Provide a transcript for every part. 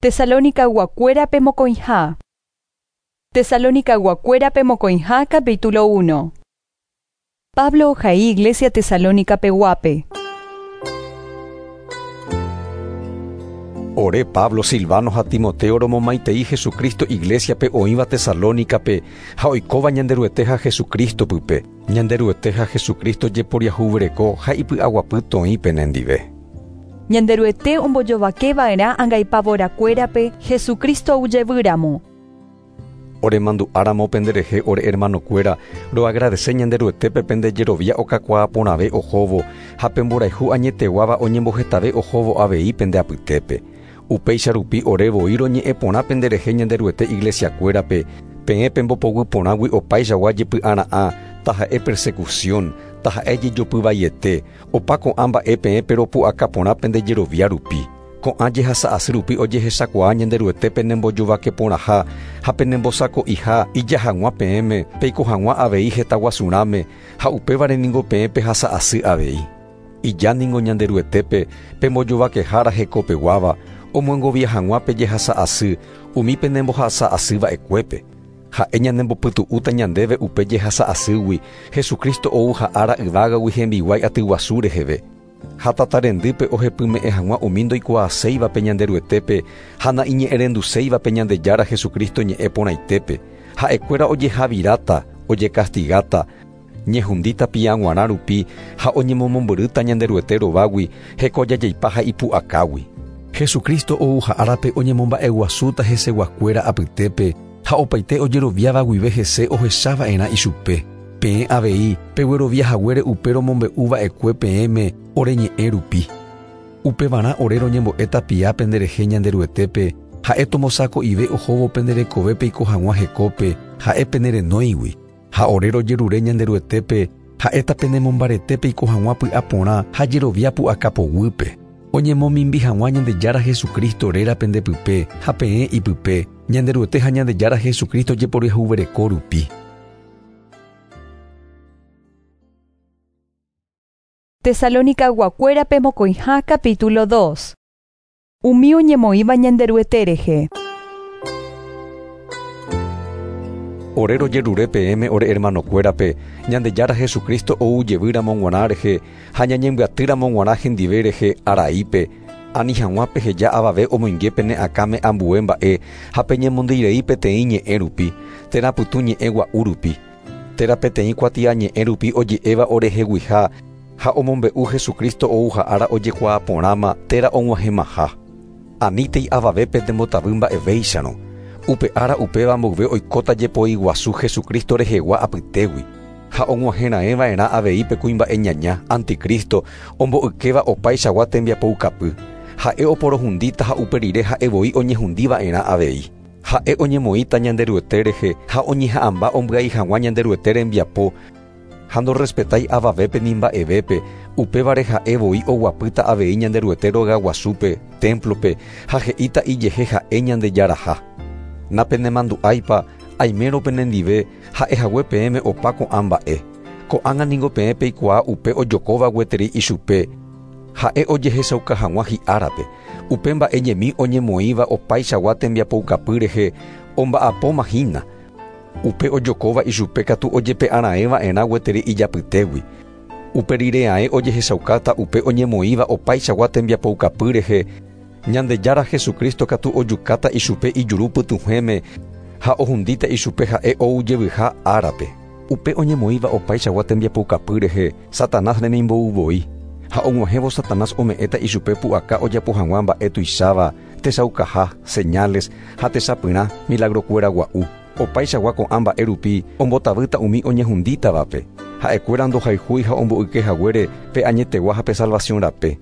Tesalonicayguakuérape mokõiha. Tesalonicayguakuérape mokõiha capítulo 1. Pablo ohai Iglesia Tesalónica peguápe. Ore Pablo, Silvano ha Timoteo romomaitei Jesucristo iglésiape oĩva Tesalónicape ha oikóva Ñanderuete ha Jesucristo pype. Ñanderuete ha Jesucristo jeporiahuvereko ha ipy'aguapy toĩ penendive. Ñanderuete ombojovakeva'erã angaipavorakuérape Jesucristo oujevýramo. Oremandu'áramo penderehe ore hermanokuéra, roagradece Ñanderuetépe pende jerovia okakuaa porãve ohóvo ha pemborayhu añeteguáva oñembohetave ohóvo avei pende apytépe. Upéicha rupi ore voi roñe'ẽ porã penderehe Ñanderuete iglesiakuérape, peẽ pembopoguy porãgui opaichagua jepy'ara'ã, taha'e persecución, taha'e jejopyvaiete, opa ko'ã mba'e peẽ peropu'aka porã pende jerovia rupi. Ko'ã jehasa'asy rupi ojehechakuaa Ñanderuete penembojovake porãha ha penembosako'iha ija hag̃ua peẽme, peiko hag̃ua avei hetaguasurãme ha upévare ningo peẽ pehasa'asy avei. Ija ningo Ñanderuetépe pembojovakehára hekopeguáva, omyengovia hag̃ua pejehasa'asy umi penembohasa'asýva'ekuépe. Ha'e ñanembopytu'úta ñandéve upe jehasa'asýgui, Jesucristo ou ha'ára yvágagui hembiguái atyguasu reheve. Ha tatarendýpe ohepyme'ẽ hag̃ua umi ndoikuaaséivape Ñanderuetépe ha naiñe'ẽrenduséivape Ñandejára Jesucristo ñe'ẽ porãitépe. Ha'ekuéra ojehaviráta, ojekastigáta, ñehundíta piaguarã rupi ha oñemomombyrýta Ñanderuete rovágui hekojajaipa ha ipu'akágui. Jesucristo ou ha'árape oñemomba'eguasúta heseguakuéra apytépe ha opaite ojeroviáva guive hese ohechava'erã ichupe. Peẽ avei pegueroviahaguére upe romombe'uva'ekue peẽme oreñe'ẽ rupi. Upevarã ore roñembo'e tapia penderehe Ñanderuetépe ha'e tombosako'ive ohóvo penderekove peiko hag̃ua hekópe ha'e penerenóigui. Ha ore rojerure Ñanderuetépe ha'éta penemombarete peiko hag̃ua py'aporã ha jerovia pu'aka poguýpe. Oñemomimbi hag̃ua Ñandejára Jesucristo réra pendepype ha peẽ ipype, Ñanderuete ha Ñandejára Jesucristo jeporiahuvereko rupi. Tesalonicayguakuérape mokõiha capítulo 2. Umi oñemoĩva Ñanderuete rehe. Ore rojerure peẽme ore hermanokuérape, Ñandejára Jesucristo ou jevýramo g̃uarã rehe ha ñañembyatýramo g̃uarã hendive rehe araípe, ani hag̃ua peheja avave omoinge pene akãme ambue mba'e ha peñemondeirei peteĩ ñe'ẽ rupi, térã pytũ ñe'ẽ gua'u rupi, térã peteĩ kuatiañe'ẽ rupi oje'éva oreheguiha ha omombe'u Jesucristo ou ha'ára ojekuaa porãma térã og̃uahẽmaha. Anítei avavépe ndembotavy mba'evéicharõ. Upe ára upéva mboyve oikóta jepoi guasu Jesucristo rehegua apytégui. Ha og̃uahẽraẽva'erã avei pe kuimba'e ñaña, anticristo, ombo'ykéva opaichagua tembiapoukapy. Ha'e oporohundíta ha upe rire ha'e voi oñehundiva'erã avei. Ha'e oñemoĩta Ñanderuete rehe ha oñeha'ãmba ombyai hag̃ua Ñanderuete rembiapo ha ndorespetái avavépe ni mba'evépe, upévare ha'e voi oguapýta avei Ñanderuete rogaguasúpe, templope, ha he'íta ijehe ha'e Ñandejaraha. Napenemandu'áipa aimérõ penendive ha'ehague peẽme opa ko'ã mba'e. Ko'ág̃a ningo peẽ peikuaa upe ojokóva gueteri ichupe, ha'e ojehechauka hag̃ua hi'árape. Upe mba'e ñemi oñemoĩva opaichagua tembiapoukapy rehe omba'apóma hína. Upe ojokóva ichupe katu ojepe'araẽva'erã gueteri ijapytégui. Upe rireaẽ ojehechaukáta upe oñemoĩva opaichagua tembiapoukapy rehe, Ñandejára Jesucristo katu ojukáta ichupe ijuru pytũhẽme ha ohundíta ichupe ha'e oujevyha árape. Upe oñemoĩva opaichagua tembiapoukapy rehe, Satanás remimbou voi. Ha og̃uahẽvo Satanás ome'ẽta ichupe pu'aka ojapo hag̃ua mba'e tuicháva, techaukaha, señales ha techapyrã milagrokuéra gua'u. Opaichagua ko'ã mba'e rupi ombotavýta umi oñehundítavape. Ha'ekuéra ndohayhúi ha omboykehaguére pe añetegua ha pe salvación rape.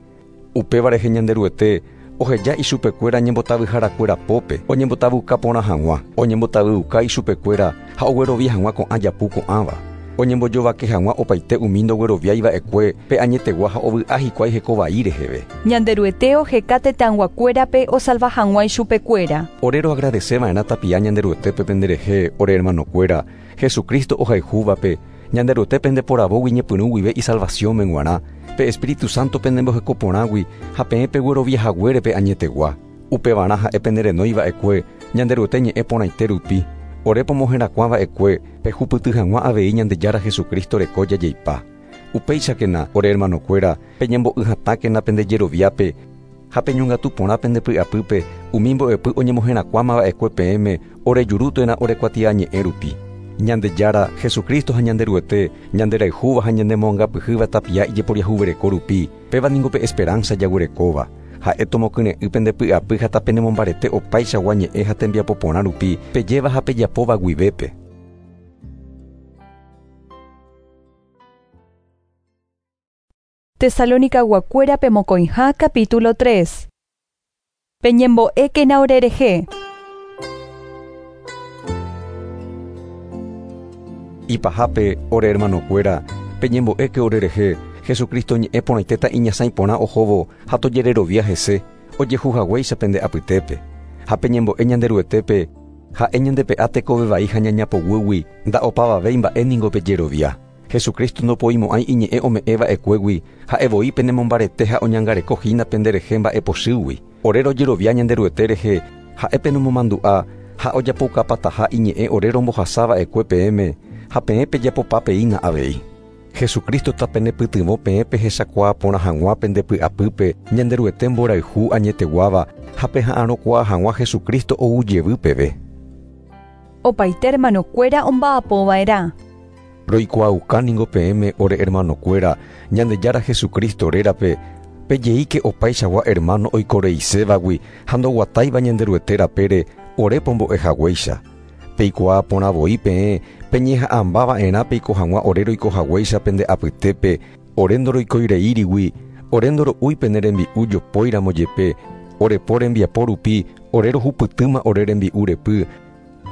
Upéva rehe Ñanderuete oheja ichupekuéra ñembotavyharakuéra pópe, oñembotavyuka porã hag̃ua, oñembotavyuka ichupekuéra ha oguerovia hag̃ua ko'ã japu ko'ãva. Oñembojovake hag̃ua opaite umi ndogueroviaiva'ekue pe añetegua ha ovy'a hikuái hekovai reheve. Ñanderuete oheka tetãyguakuérape osalva hag̃ua ichupekuéra. Ore roagradeceva'erã tapia Ñanderuetépe penderehe, ore hermanokuéra, Jesucristo ohayhúvape, Ñanderuete pendeporavógui ñepyrũ guive isalvaciónme g̃uarã, pe Espíritu Santo penembohekoporãgui ha peẽ pegueroviahaguére pe añetegua. Upevarã ha'e penerenói va'ekue Ñanderuete ñe'ẽ porãite rupi, ore pomoherakuã va'ekue pehupyty hag̃ua avei Ñandejára Jesucristo reko jajeipa. Upéichakena, ore hermanokuéra, peñembo'y hatãkena pende jeroviápe ha peñongatu porã pende py'apýpe umi mbo'epy oñemoherakuãmava'ekue peẽme ore juru térã ore kuatiañe'ẽ rupi. Ñandejára Jesucristo ha Ñanderuete ñanderayhúva ha ñanemoangapyhýva tapia ijeporiahuvereko rupi, péva ningo pe esperanza jaguerekóva. Ha'e tomokyre'ỹ pende py'apy ha tapenemombarete opaichagua ñe'ẽ ha tembiapo porã rupi pejéva ha pejapóva guivépe. Tesalónica guakuérape mokõiha capítulo 3. Peñembo'ékena orerehe. Ipahápe ore hermanokuéra, peñembo'éke orerehe, Jesucristo ñe'ẽ porãitéta iñasãi porã ohóvo ha tojererovia hese, ojehu haguéicha pende apytépe. Ha peñembo'e Ñanderuetépe, ha'e ñandepe'a tekove vai ha ñaña poguýgui, nda'opavavéi mba'e ningo pejerovia. Jesucristo ndopoimo'ãi iñe'ẽ ome'ẽva'ekuégui, ha'e voi penemombarete ha oñangareko hína penderehe mba'epochýgui. Ore rojerovia Ñanderuete rehe, ha'e penemomandu'a ha ojapoukapataha iñe'ẽ ore rombohasava'ekue peẽme, ha peẽ pejapopapeína avei. Jesucristo tapenepytyvõ peẽ pehechakuaa porã hag̃ua pende py'apýpe Ñanderuete mborayhu añeteguáva ha peha'arõkuaa hag̃ua Jesucristo ou jevy peve. Opaite hermanokuéra omba'apova'erã. Roikuaauka ningo peẽme ore hermanokuéra Ñandejára Jesucristo rérape pejeíke opaichagua hermano oikoreisévagui ha ndoguatáiva Ñanderuete rapére ore pombo'e haguéicha. Peikuaa porã voi peẽ peñeha'ãmbava'erã peiko hag̃ua ore roiko haguéicha pende apytépe ore ndoroikoireírigui, ore ndoro'úi pene rembi'u jopóiramo jepe, ore po rembiapo rupi ore rohupytýma ore rembi'u repy,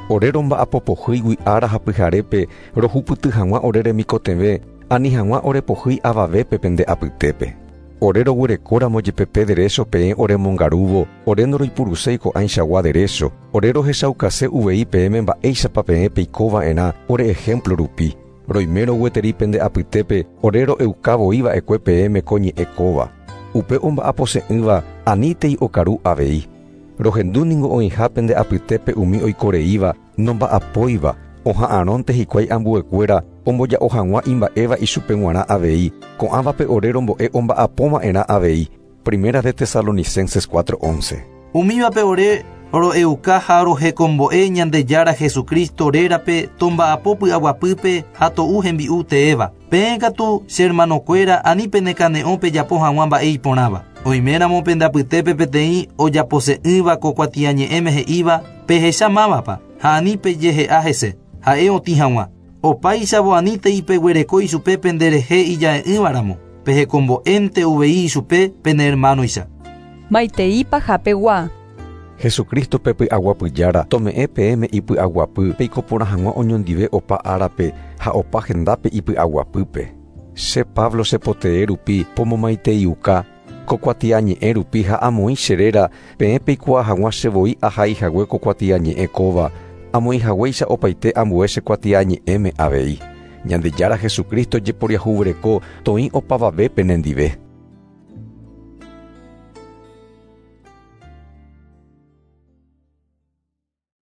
ore romba'apopohýigui ára ha pyharépe rohupyty hag̃ua ore remikotevẽ ani hag̃ua orepohýi avavépe pende apytépe. Ore roguerekóramo jepe pe derecho peẽ oremongarúvo, ore ndoroipuruséi ko'ãichagua derecho, ore rohechaukase uvei peẽme mba'éichapa peẽ peikova'erã ore ejemplo rupi. Roime rogueteri pende apytépe ore ro'euka voi va'ekue peẽme ko ñe'ẽ kóva. Upe omba'apose'ỹva anítei okaru avei. Rohendu ningo oĩha pende apytépe umi oikoreíva nomba'apóiva, oha'arõnte hikuái ambuekuéra omboja'o hag̃ua imba'éva ichupe g̃uarã avei, ko'ãvape ore rombo'e omba'apóva'erã avei. Primera de Tesalonicenses 4:11. Umívape ore ro'euka ha rohekombo'e Ñandejára Jesucristo rérape tomba'apo py'aguapýpe ha to'u hembi'u teéva. Peẽ katu che hermanokuéra ani penekane'õ pejapo hag̃ua mba'e iporãva. Oiméramo pende apytépe peteĩ ojapose'ỹva ko kuatiañe'ẽme he'íva pehecha mávapa ha ani pejehe'a hese, ha'e otĩ hag̃ua. Opáichavo anítei peguereko ichupe penderehe ija'e'ỹvaramo, pehekombo'énte uvei ichupe pene hermanoicha. Maitei pahapegua. Jesucristo pe py'aguapyjára tome'ẽ peẽme ipy'aguapy peiko porã hag̃ua oñondive opa árape ha opa hendápe ipy'aguapýpe. Che Pablo che potee rupi pomomaiteiuka, ko kuatiañe'ẽ rupi ha amoĩ che réra peẽ peikuaa hag̃ua che voi ahaihague ko kuatiañe'ẽ kóva, amoĩhaguéicha opaite ambue che kuatiañe'ẽme avei. Ñandejára Jesucristo jeporiahuvereko toĩ opavave penendive.